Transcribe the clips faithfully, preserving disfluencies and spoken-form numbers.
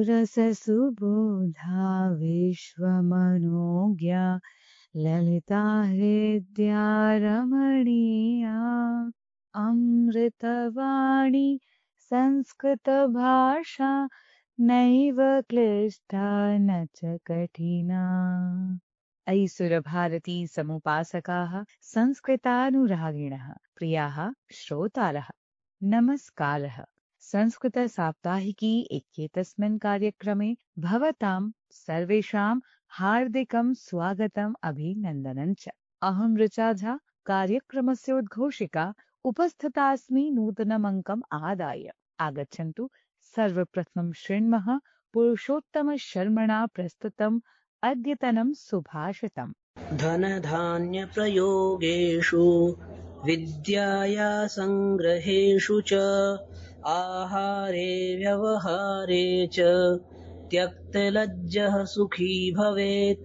सुरससुबोधा विश्वमनोज्ञा ललिता हृद्या रमणीया अमृतवाणी संस्कृतभाषा नैव क्लिष्टा न च कठिना। अयि सुरभारती समुपासकाः संस्कृतानुरागिणः प्रियाः श्रोतारः नमस्कारः। संस्कृतसाप्ताहिकी इत्येतस्मिन् कार्यक्रमे भवतां सर्वेषां हार्दिकं स्वागतम् अभिनन्दनं च। अहं ऋचा झा कार्यक्रमस्य उद्घोषिका उपस्थितास्मि नूतनमङ्कम् आदाय। आगच्छन्तु सर्वप्रथमं शृण्मः पुरुषोत्तमशर्मणा प्रस्तुतम् अद्यतनं सुभाषितम्। धनधान्यप्रयोगेषु विद्याया सङ्ग्रहेषु च आहारे व्यवहारे च त्यक्तलज्जः सुखी भवेत्।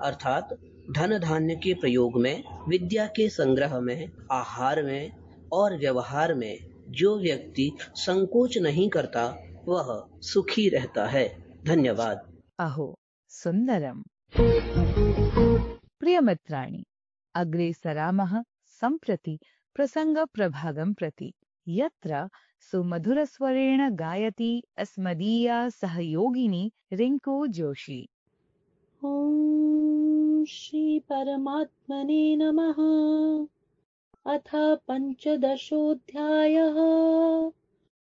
अर्थात धन धान्य के प्रयोग में, विद्या के संग्रह में, आहार में और व्यवहार में जो व्यक्ति संकोच नहीं करता वह सुखी रहता है। धन्यवाद। अहो सुन्दरम्। प्रियमित्राणि, अग्रे सरामः सम्प्रति प्रसङ्गप्रभागं प्रति, यत्र सुमधुरस्वरेण गायति अस्मदीया सहयोगिनी रिङ्कू जोशी। ॐ श्री परमात्मने नमः। अथ पञ्चदशोऽध्यायः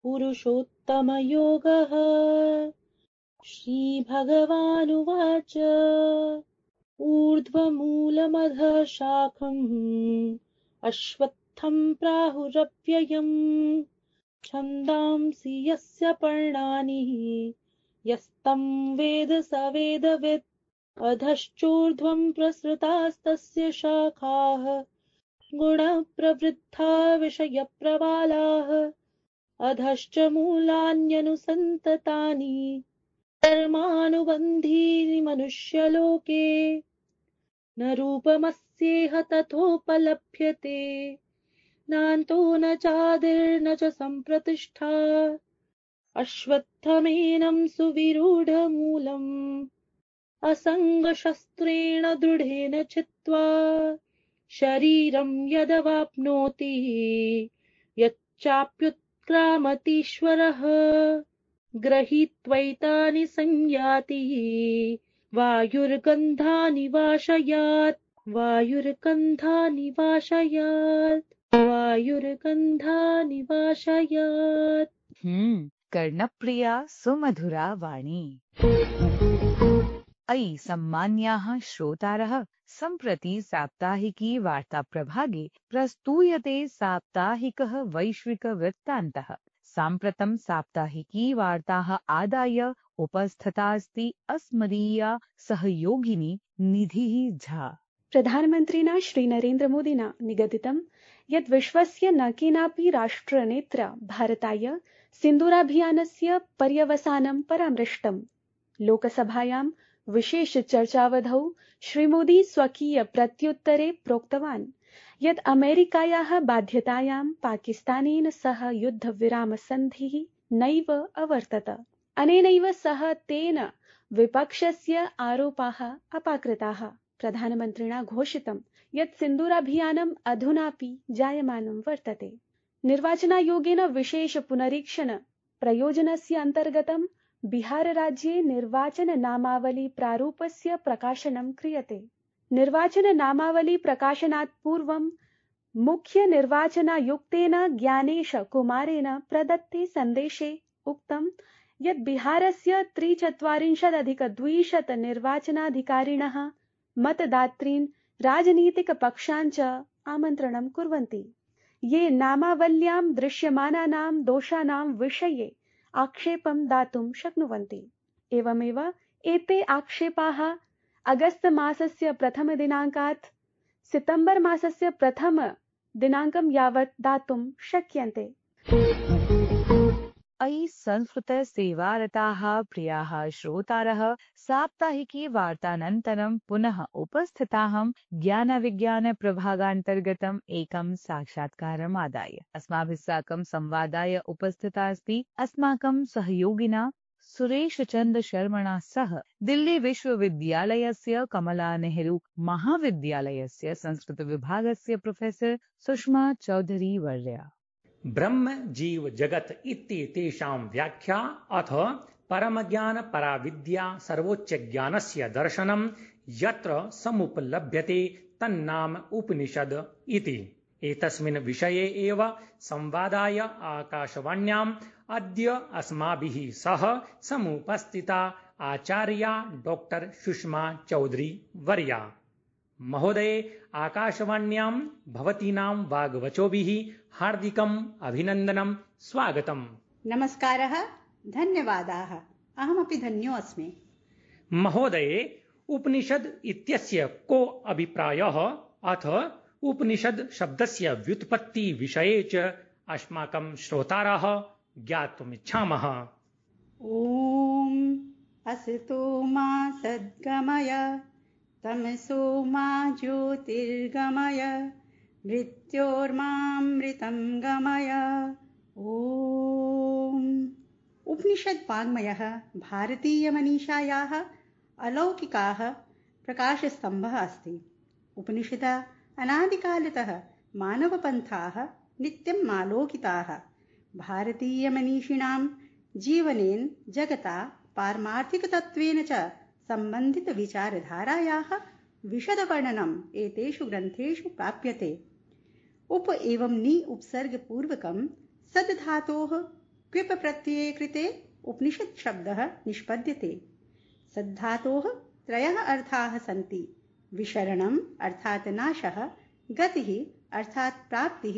पुरुषोत्तमयोगः। श्रीभगवानुवाच ऊर्ध्वमूलमधः शाखम् अश्वत्थं प्राहुरव्ययम् छन्दांसि यस्य पर्णानि यस्तं वेद स वेदवित्। अधश्चोर्ध्वं प्रसृतास्तस्य शाखाः गुणप्रवृद्धा विषयप्रवालाः। अधश्च मूलान्यनुसन्ततानि कर्मानुबन्धीनि मनुष्यलोके। न रूपमस्येह तथोपलभ्यते नान्तो न चादिर्न च सम्प्रतिष्ठा। अश्वत्थमेनं सुविरूढमूलम् असङ्गशस्त्रेण दृढेन छित्त्वा शरीरं यदवाप्नोति यच्चाप्युत्क्रामतीश्वरः गृहीत्वैतानि संयाति वायुर्गन्धानि वाशयात् वायुर्गन्धानि वाशयात् वायुर्गन्धानि वाशयात्। हम्म कर्णप्रिया सुमधुरा वाणी। अयि सम्मान्याः श्रोतारः, सम्प्रति साप्ताहिकी वार्ता प्रभागे प्रस्तूयते साप्ताहिकः वैश्विकवृत्तान्तः। साम्प्रतं साप्ताहिकी वार्ताः आदाय उपस्थिता अस्ति अस्मदीया सहयोगिनी निधिः झा। प्रधानमन्त्रिणा श्रीनरेन्द्रमोदिना निगदितं यत् विश्वस्य न केनापि राष्ट्रनेत्रा भारताय सिन्दूराभियानस्य पर्यवसानं परामृष्टम्। लोकसभायां विशेषचर्चावधौ श्रीमोदी स्वकीय प्रत्युत्तरे प्रोक्तवान् यत् अमेरिकायाः बाध्यतायां पाकिस्तानेन सह युद्धविरामसन्धिः नैव अवर्तत। अनेनैव सह तेन विपक्षस्य आरोपाः अपाकृताः। प्रधानमन्त्रिणा घोषितं यत् सिन्दूराभियानम् अधुनापि जायमानं वर्तते। निर्वाचनायोगेन विशेष पुनरीक्षण प्रयोजनस्य अन्तर्गतं बिहारराज्ये निर्वाचननामावली प्रारूपस्य प्रकाशनं क्रियते। निर्वाचननामावली-प्रकाशनात् पूर्वं मुख्यनिर्वाचनायुक्तेन ज्ञानेश कुमारेण प्रदत्ते सन्देशे उक्तं यत् बिहारस्य त्रिचत्वारिंशदधिकद्विशत निर्वाचनाधिकारिणः मतदातॄन् राजनीतिकपक्षान् च आमन्त्रणं कुर्वन्ति, ये नामावल्यां दृश्यमानानां दोषाणां विषये आक्षेपं दातुं शक्नुवन्ति। एवमेव एते आक्षेपाः अगस्त मासस्य प्रथमदिनाङ्कात् सितम्बर मासस्य प्रथमदिनाङ्कं यावत् दातुं शक्यन्ते। अयि संस्कृतसेवारताः प्रियाः श्रोतारः, साप्ताहिकी वार्तानन्तरं पुनः उपस्थिताहं ज्ञानविज्ञानप्रभागान्तर्गतम् एकं साक्षात्कारम् आदाय। अस्माभिः साकं संवादाय उपस्थिता अस्ति अस्माकं सहयोगिना सुरेशचन्द्र शर्मणा सह दिल्ली विश्वविद्यालयस्य कमला नेहरू महाविद्यालयस्य संस्कृतविभागस्य प्रोफेसर सुषमा चौधरी वर्या। ब्रह्म जीव जगत इत्येतेषां व्याख्या अथ परमज्ञान पराविद्या सर्वोच्च ज्ञानस्य दर्शनं यत्र समुपलभ्यते तन्नाम उपनिषद इति। एतस्मिन् विषये एव संवादाय आकाशवाण्याम् अद्य अस्माभिः सह समुपस्थिता आचार्या डॉक्टर सुषमा चौधरी वर्या। महोदये, आकाशवाण्यां भवतीनां वाग्वचोभिः हार्दिकम् अभिनन्दनं, स्वागतम्। नमस्कारः, धन्यवादाः। अहमपि धन्यो अस्मि। महोदये, उपनिषद इत्यस्य को अभिप्रायः अथ उपनिषद शब्दस्य व्युत्पत्ति विषये च अस्माकं श्रोतारः ज्ञातुमिच्छामः। ॐ असतो मा सद्गमय तमसो मा ज्योतिर्गमय मृत्योर्मामृतं गमय। ॐ उपनिषद वाङ्मयः भारतीयमनीषायाः अलौकिकाः प्रकाशस्तम्भः अस्ति। उपनिषदः अनादिकालतः मानवपन्थाः नित्यम् आलोकिताः भारतीयमनीषिणां जीवनेन जगता पारमार्थिकतत्त्वेन च सम्बन्धितविचारधारायाः विशदवर्णनम् एतेषु ग्रन्थेषु प्राप्यते। उप एवं नि उपसर्गपूर्वकं सद्धातोः क्विप प्रत्यये कृते उपनिषत् शब्दः निष्पद्यते। सद्धातोः त्रयः अर्थाः सन्ति। विशरणम् अर्थात् नाशः, गतिः अर्थात् प्राप्तिः,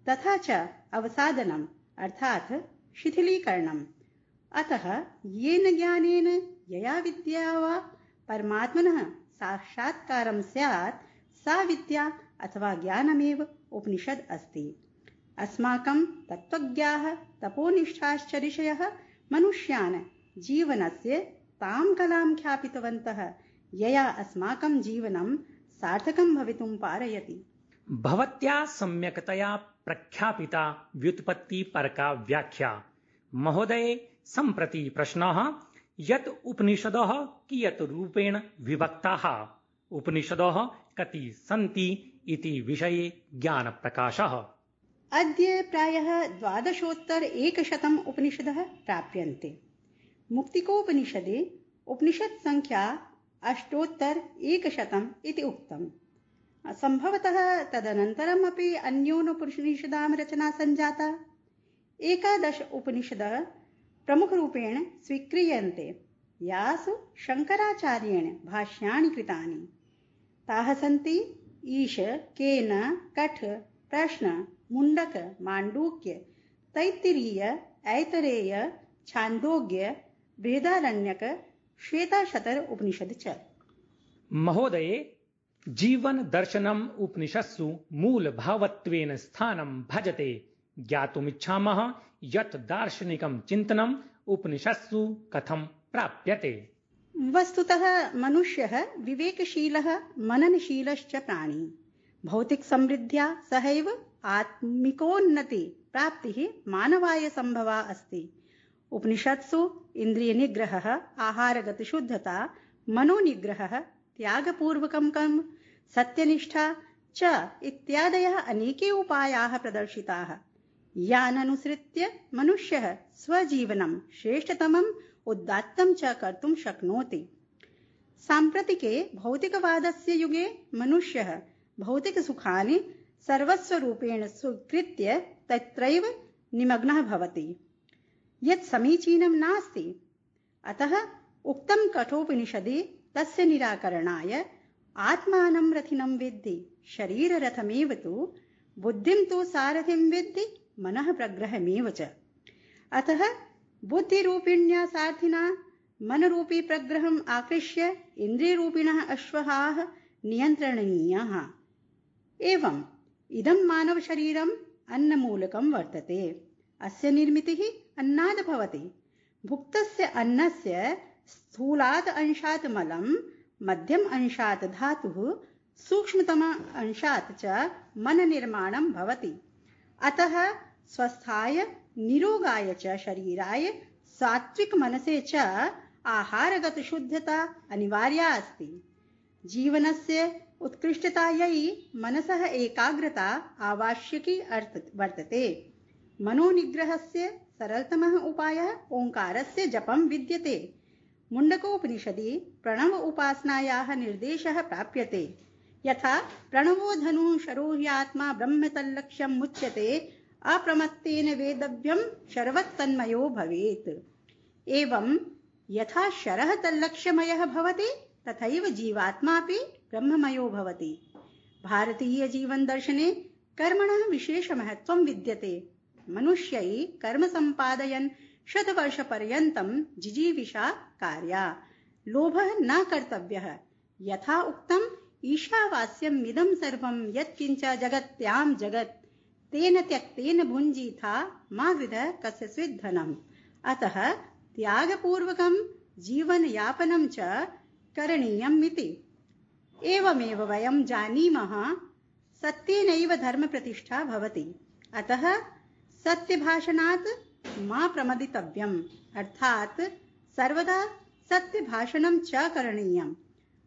तथा च अवसादनम् अर्थात् शिथिलीकरणम्। अतः येन ज्ञानेन यया विद्या वा परमात्मनः साक्षात्कारं स्यात् सा विद्या अथवा ज्ञानमेव उपनिषद् अस्ति। अस्माकं तत्त्वज्ञाः तपोनिष्ठाश्च ऋषयः मनुष्यान् जीवनस्य तां कलां ख्यापितवन्तः यया अस्माकं जीवनं सार्थकं भवितुं पारयति। भवत्या सम्यक्तया प्रख्यापिता व्युत्पत्तिपरका व्याख्या। महोदये, सम्प्रति प्रश्नः यत् उपनिषदः कियत् रूपेण विभक्ताः, उपनिषदः कति सन्ति इति विषये ज्ञानप्रकाशः। अद्य प्रायः द्वादशोत्तर एकशतम् उपनिषदः प्राप्यन्ते। मुक्तिकोपनिषदे उपनिषत् संख्या अष्टोत्तर एकशतम् इति उक्तम्। सम्भवतः तदनन्तरम् अपि अन्योपनिषदां रचना सञ्जाता। एकादश उपनिषदः प्रमुखरूपेण स्वीक्रियन्ते, यासु शङ्कराचार्येण भाष्याणि कृतानि। ताः सन्ति ईश, केन, कठ, प्रश्न, मुण्डक, माण्डूक्य, तैत्तिरीय, ऐतरेय, छान्दोग्य, बृहदारण्यक, श्वेताशतर उपनिषद च। महोदये, जीवन दर्शनम् उपनिषत्सु मूलभावत्वेन स्थानं भजते। ज्ञातुमिच्छामः यत् दार्शनिकं चिन्तनम् उपनिषत्सु कथं प्राप्यते। वस्तुतः मनुष्यः विवेकशीलः मननशीलश्च प्राणी। भौतिक समृद्ध्या सहैव आत्मिकोन्नति प्राप्तिः मानवाय संभवा अस्ति। उपनिषत्सु इन्द्रियनिग्रहः, आहारगतशुद्धता, मनोनिग्रहः, त्यागपूर्वकं कर्म, सत्यनिष्ठा च इत्यादयः अनेके उपायाः प्रदर्शिताः, यान् अनुसृत्य मनुष्यः स्वजीवनं श्रेष्ठतमम् उदात्तं च कर्तुं शक्नोति। साम्प्रतिके भौतिकवादस्य युगे मनुष्यः भौतिकसुखानि सर्वस्वरूपेण स्वीकृत्य तत्रैव निमग्नः भवति, यत् समीचीनं नास्ति। अतः उक्तं कठोपनिषदि तस्य निराकरणाय आत्मानं रथिनं विद्धि, शरीररथमेव तु बुद्धिं तु सारथिं विद्धि, मनः प्रग्रहमेव च। अतः बुद्धिरूपिण्या सारथिना मनरूपी प्रग्रहम् आकृष्य इन्द्रियरूपिणः अश्वः नियन्त्रणीयः। एवम् इदं मानवशरीरम् अन्नमूलकं वर्तते। अस्य निर्मितिः अन्नाद् भवति। भुक्तस्य अन्नस्य स्थूलात् अंशात् मलं, मध्यम अंशात् धातुः, सूक्ष्मतम अंशात् च मननिर्माणं भवति। अतः स्वस्थाय निरोगाय च शरीराय सात्विक मनसे च आहारगत शुद्धता अनिवार्या अस्ति। जीवनस्य उत्कृष्टतायै मनसः एकाग्रता आवश्यकी वर्तते। मनोनिग्रहस्य सरलतमः उपायः ओङ्कारस्य जपं विद्यते। मुण्डकोपनिषदि प्रणव उपासनायाः निर्देशः प्राप्यते। यथा प्रणवो धनुः शरो ह्यात्मा ब्रह्म तल्लक्ष्यं मुच्यते अप्रमत्तेन वेदव्यं शरवत्तन्मयो भवेत्। एवं यथा शरः तल्लक्ष्यमयः भवति तथैव जीवात्मापि ब्रह्ममयो भवति। भारतीय जीवन दर्शने कर्मणः विशेषमहत्त्वं विद्यते। मनुष्यै कर्म सम्पादयन् शतवर्षपर्यन्तं जिजीविषा कार्या। लोभः न कर्तव्यः। यथा उक्तम् ईशावास्यम् इदं सर्वं यत्किञ्च जगत्यां जगत् तेन त्यक्तेन भुञ्जीथा मा वृथः कस्यचित् धनम्। अतः त्यागपूर्वकं जीवनयापनं च करणीयम् इति। एवमेव वयं जानीमः सत्येनैव धर्मप्रतिष्ठा भवति। अतः सत्यभाषणात् मा प्रमदितव्यम्। अर्थात् सर्वदा सत्यभाषणं च करणीयम्।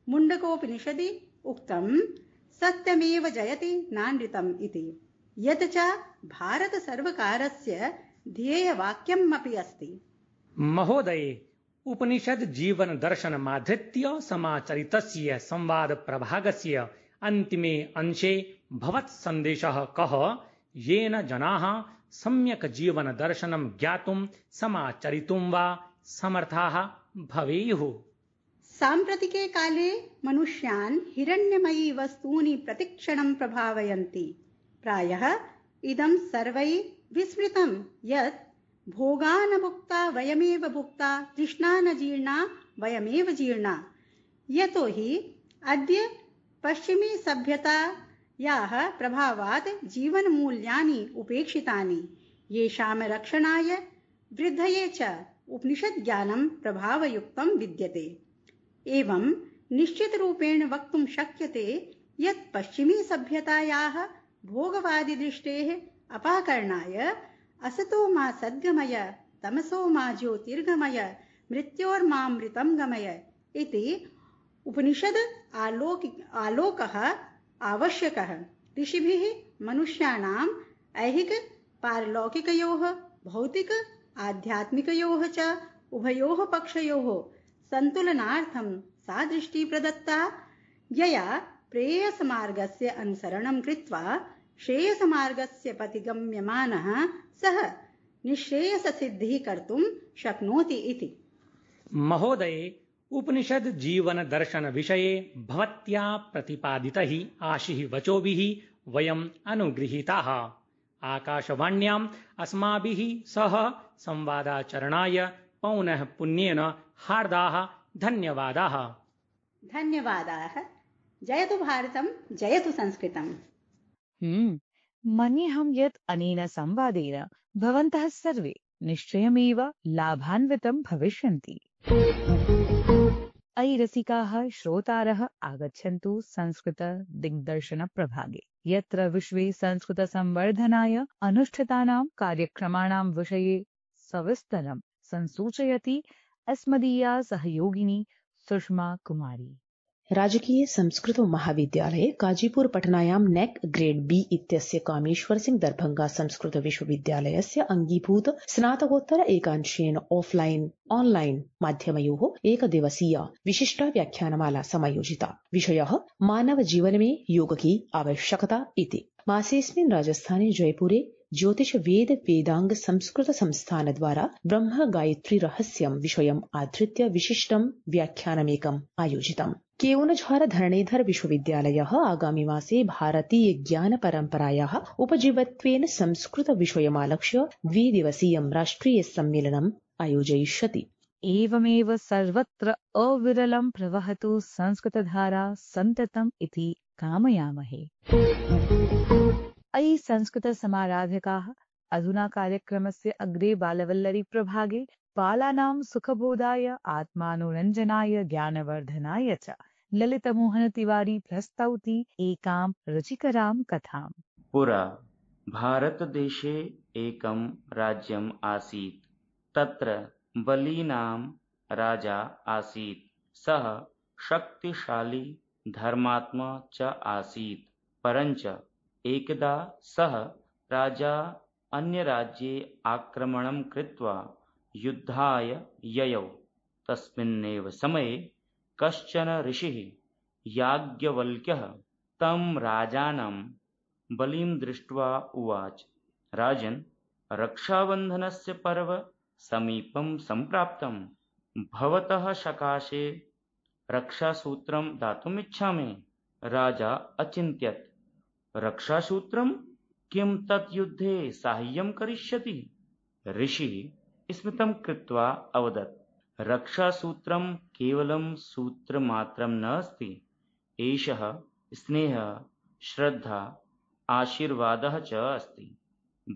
मुण्डकोपनिषदि उक्तं सत्यमेव जयति नानृतम् इति। यत् च भारतसर्वकारस्य ध्येयवाक्यम् अपि अस्ति। महोदये, उपनिषद जीवन दर्शनमाधृत्य समाचरितस्य संवाद प्रभागस्य अन्तिमे अंशे भवत् सन्देशः कः, येन जनाः सम्यक् जीवन दर्शनं ज्ञातुं समाचरितुं वा समर्थाः भवेयुः। साम्प्रतिके काले मनुष्यान् हिरण्यमयी वस्तूनि प्रतिक्षणं प्रभावयन्ति। प्रायः इदं सर्वैः विस्मृतं यत् भोगा न भुक्ता वयमेव भुक्ता, तृष्णा न जीर्णा वयमेव जीर्णा। यतो हि अद्य पश्चिमी सभ्यतायाः प्रभावात् जीवनमूल्यानि उपेक्षितानि। येषां रक्षणाय वृद्धये च उपनिषद्ज्ञानं प्रभावयुक्तं विद्यते। एवं निश्चितरूपेण वक्तुं शक्यते यत् पश्चिमी सभ्यतायाः भोगवादिदृष्टेः अपाकरणाय असतो मा सद्गमय तमसो मा ज्योतिर्गमय मृत्योर्मामृतं गमय इति उपनिषद आलोक आलोकः आवश्यकः। ऋषिभिः मनुष्याणाम् ऐहिक पारलौकिकयोः भौतिक आध्यात्मिकयोः च उभयोः पक्षयोः सन्तुलनार्थं सा दृष्टिः प्रदत्ता, यया प्रेयसमार्गस्य अनुसरणं कृत्वा श्रेयसमार्गस्य पथिगम्यमानः सः निःश्रेयससिद्धिः कर्तुं शक्नोति इति। महोदये, उपनिषद जीवन दर्शन विषये भवत्या प्रतिपादितैः आशिः वचोभिः वयम् अनुगृहीताः। आकाशवाण्याम् अस्माभिः सह संवादाचरणाय पौनः पुण्येन हार्दाः धन्यवादाः। धन्यवादाः। जयतु भारतं, जयतु संस्कृतम्। हम्म मन्येऽहं यत् अनेन संवादेन भवन्तः सर्वे निश्चयमेव लाभान्वितं भविष्यन्ति। अयि रसिकाः श्रोतारः, आगच्छन्तु संस्कृत दिग्दर्शन प्रभागे, यत्र विश्वे संस्कृत संवर्धनाय अनुष्ठितानां कार्यक्रमाणां विषये सविस्तरं संसूचयति अस्मदीया सहयोगिनी सुषमा कुमारी। राजकीय संस्कृत महाविद्यालये काजीपुर पटनायां नेक ग्रेड बी इत्यस्य कामेश्वर सिंह दरभंगा संस्कृत विश्वविद्यालयस्य अंगीभूत स्नातकोत्तर एकांशेन ऑफलाइन ऑनलाइन माध्यमयोः एकदिवसीय विशिष्टा व्याख्यानमाला समायोजिता। विषयः मानव जीवन में योग की आवश्यकता इति। मासेऽस्मिन् राजस्थाने जयपुरे ज्योतिष वेद वेदांग संस्कृत संस्थान द्वारा ब्रह्म गायत्री रहस्यं विषयम् आधृत्य विशिष्टं व्याख्यानमेकम् आयोजितम्। केओनझार धरणीधर विश्वविद्यालयः आगामि मासे भारतीय ज्ञान परम्परायाः उपजीवत्वेन संस्कृत विषयमालक्ष्य द्विदिवसीयं राष्ट्रिय सम्मेलनम् आयोजयिष्यति। एवमेव सर्वत्र अविरलं प्रवहतु संस्कृतधारा सन्ततम् इति कामयामहे। अयि संस्कृत समाराधकाः, अधुना कार्यक्रमस्य अग्रे बालवल्लरी प्रभागे बालानां सुखबोधाय आत्मानुरञ्जनाय ज्ञानवर्धनाय च ललितमोहन तिवारी प्रस्तौति एकां रुचिकरां कथाम्। पुरा भारतदेशे एकं राज्यम् आसीत्। तत्र बली नाम राजा आसीत्। सः शक्तिशाली धर्मात्मा च आसीत्। परञ्च एकदा सः राजा अन्यराज्ये आक्रमणं कृत्वा युद्धाय ययौ। तस्मिन्नेव समये कश्चन ऋषिः याज्ञवल्क्यः तं राजानं बलिं दृष्ट्वा उवाच, राजन्, रक्षाबन्धनस्य पर्व समीपं सम्प्राप्तं। भवतः सकाशे रक्षासूत्रं दातुमिच्छामि। राजा अचिन्त्यत्, रक्षासूत्रं? किं तत् युद्धे साहाय्यं करिष्यति? ऋषिः स्मितं कृत्वा अवदत्, रक्षासूत्रं केवलं सूत्रमात्रं नास्ति। एषः स्नेहः, श्रद्धा, आशीर्वादः च अस्ति।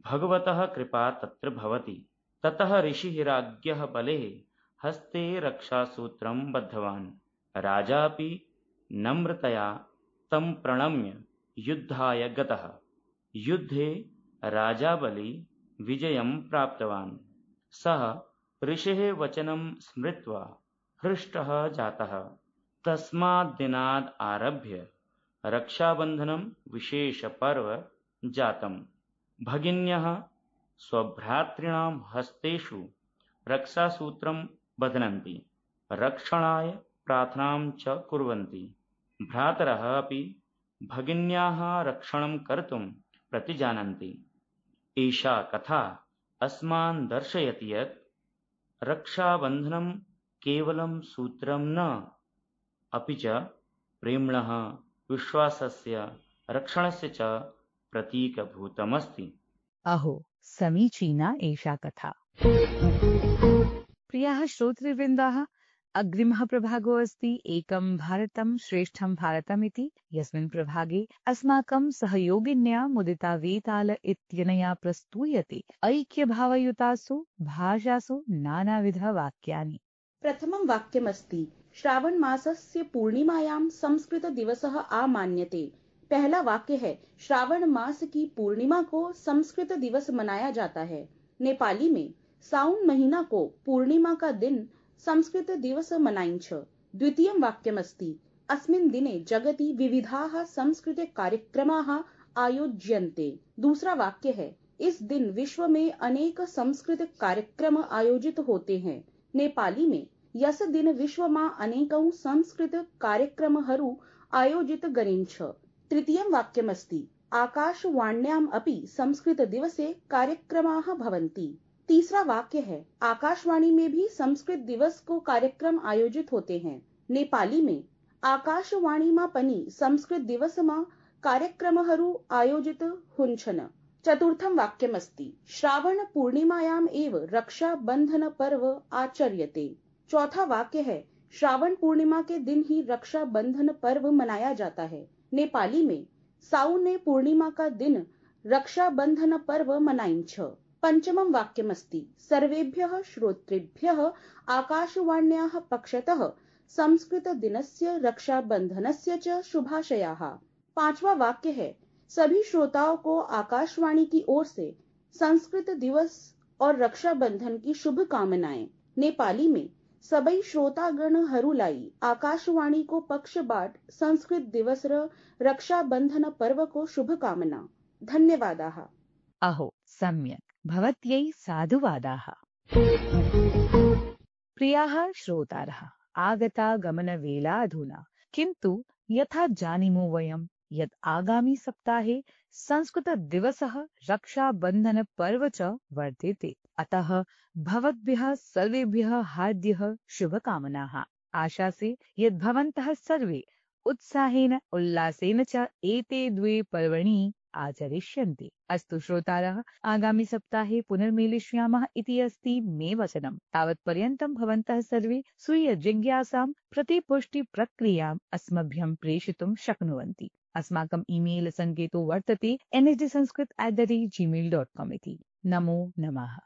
भगवतः कृपा तत्र भवति। ततः ऋषिः राज्ञः बलेः हस्ते रक्षासूत्रं बद्धवान्। राजा अपि नम्रतया तं प्रणम्य युद्धाय गतः। युद्धे राजा बली विजयं प्राप्तवान्। सः ऋषेः वचनं स्मृत्वा हृष्टः जातः। तस्मात् दिनात् आरभ्य रक्षाबन्धनं विशेषपर्व जातम्। भगिन्यः स्वभ्रातॄणां हस्तेषु रक्षासूत्रं बध्नन्ति, रक्षणाय प्रार्थनां च कुर्वन्ति। भ्रातरः अपि भगिन्याः रक्षणं कर्तुं प्रतिजानन्ति। एषा कथा अस्मान् दर्शयति यत् रक्षाबन्धनं केवलं सूत्रं न, अपि च प्रेम्णः, विश्वासस्य, रक्षणस्य च प्रतीकभूतमस्ति। अहो समीचीना एषा कथा। प्रियाः श्रोतृवृन्दाः, अग्रिमः प्रभागो अस्ति एकं भारतं श्रेष्ठं भारतम् इति, यस्मिन् प्रभागे अस्माकं सहयोगिन्या मुदिता वेताल इत्यनया प्रस्तूयते ऐक्यभावयुतासु भाषासु नानाविधवाक्यानि। प्रथमं वाक्यमस्ति श्रावण मासस्य पूर्णिमायां संस्कृत दिवसः आमान्यते। पहला वाक्य है श्रावण मास की पूर्णिमा को संस्कृत दिवस मनाया जाता है। नेपाली में साउन महीना को पूर्णिमा का दिन संस्कृत दिवस मनाइन्छ। द्वितीयं वाक्यमस्ति अस्मिन् दिने जगति विविधाः सांस्कृतिक कार्यक्रमाः आयोज्यन्ते। दूसरा वाक्य है इस दिन विश्व में अनेक सांस्कृतिक कार्यक्रम आयोजित होते हैं। नेपाली में यस दिन विश्वमा अनेकौं सांस्कृतिक कार्यक्रमहरू आयोजित गरिन्छ। तृतीयं वाक्यमस्ति आकाशवाण्याम् अपि संस्कृत दिवसे कार्यक्रमाः भवन्ति। तीसरा वाक्य है आकाशवाणी में भी संस्कृत दिवस को कार्यक्रम आयोजित होते हैं। नेपाली में आकाशवाणीमा पनि संस्कृत दिवसमा कार्यक्रमहरू आयोजित हुन्छन्। चतुर्थं वाक्यमस्ति श्रावण पूर्णिमायाम् एव रक्षाबंधन पर्व आचर्यते। चौथा वाक्य है श्रावण पूर्णिमा के दिन ही रक्षाबंधन पर्व मनाया जाता है। नेपाली में साउने पूर्णिमा का दिन रक्षाबंधन पर्व मनाइन्छ। पंचमं वाक्यमस्ति सर्वेभ्यः श्रोतृभ्यः आकाशवाण्याः पक्षतः संस्कृत दिनस्य रक्षाबंधनस्य च शुभाशयाः। पांचवा वाक्य है सभी श्रोताओं को आकाशवाणी की ओर से संस्कृत दिवस और रक्षाबंधन की शुभकामनाएं। नेपाली में सबै श्रोतागणहरूलाई आकाशवाणी को पक्षबाट संस्कृत दिवस र रक्षाबंधन पर्व को शुभकामना। धन्यवादाः। अहो सम्यक्, भवत्यै साधुवादाः। प्रियाः श्रोतारः, आगता गमनवेला अधुना, किन्तु यथा जानीमो वयं यत् आगामि सप्ताहे संस्कृत दिवसः रक्षाबंधन पर्व च वर्तेते। अतः भवद्भ्यः सर्वेभ्यः हार्द्यः शुभकामनाः। आशासे यत् भवन्तः सर्वे उत्साहेन उल्लासेन च एते द्वे पर्वणि आचरिष्यन्ति। अस्तु श्रोतारः, आगामि सप्ताहे पुनर्मिलिष्यामः इति अस्ति मे वचनम्। तावत्पर्यन्तं भवन्तः सर्वे स्वीय जिज्ञासां प्रतिपुष्टि प्रक्रियाम् अस्मभ्यं प्रेषितुं शक्नुवन्ति। अस्माकम् ईमेल सङ्केतो वर्तते N S D Sanskrit at the rate Gmail dot com इति। नमो नमः।